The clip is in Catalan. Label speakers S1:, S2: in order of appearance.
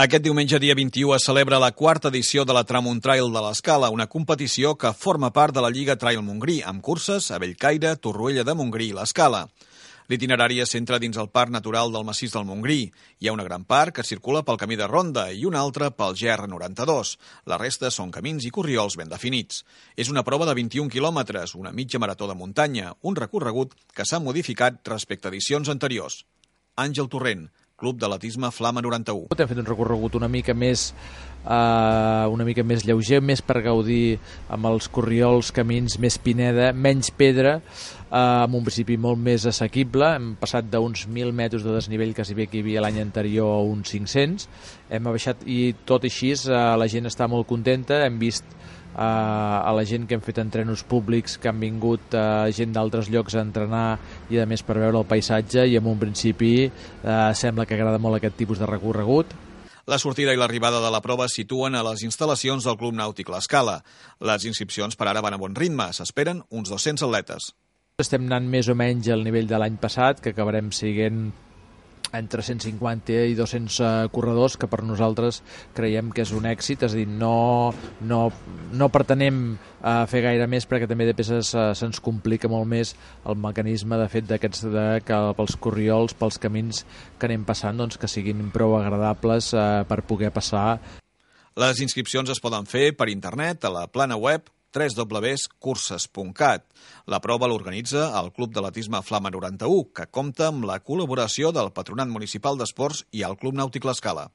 S1: Aquest diumenge, dia 21, es celebra la quarta edició de la Tramuntrail de l'Escala, una competició que forma part de la Lliga Trail Montgrí, amb curses a Bellcaire, Torroella de Montgrí i l'Escala. L'itinerari es centra dins el Parc Natural del Massís del Montgrí. Hi ha una gran part que circula pel camí de Ronda i una altra pel GR92. La resta són camins i corriols ben definits. És una prova de 21 quilòmetres, una mitja marató de muntanya, un recorregut que s'ha modificat respecte a edicions anteriors. Àngel Torrent, Club d'Atletisme Flama 91.
S2: Hem fet un recorregut una mica més lleuger, més per gaudir amb els corriols, camins, més pineda, menys pedra, amb un principi molt més assequible. Hem passat d'uns 1.000 metres de desnivell que hi havia l'any anterior a uns 500. Hem baixat i tot així la gent està molt contenta. Hem vist a la gent que hem fet entrenos públics, que han vingut gent d'altres llocs a entrenar i a més per veure el paisatge, i en un principi sembla que agrada molt aquest tipus de recorregut.
S1: La sortida i l'arribada de la prova es situen a les instal·lacions del Club Nàutic L'Escala. Les inscripcions per ara van a bon ritme, s'esperen uns 200 atletes.
S2: Estem anant més o menys al nivell de l'any passat, que acabarem siguent entre 150 i 200 corredors, que per nosaltres creiem que és un èxit. És a dir, no pretenem fer gaire més, perquè també de peces se'ns complica molt més el mecanisme de fet que pels corriols, pels camins que anem passant, doncs que siguin prou agradables per poder passar.
S1: Les inscripcions es poden fer per internet a la plana web www.curses.cat. La prova l'organitza el Club d'Atletisme Flama 91, que compta amb la col·laboració del Patronat Municipal d'Esports i el Club Nàutic L'Escala.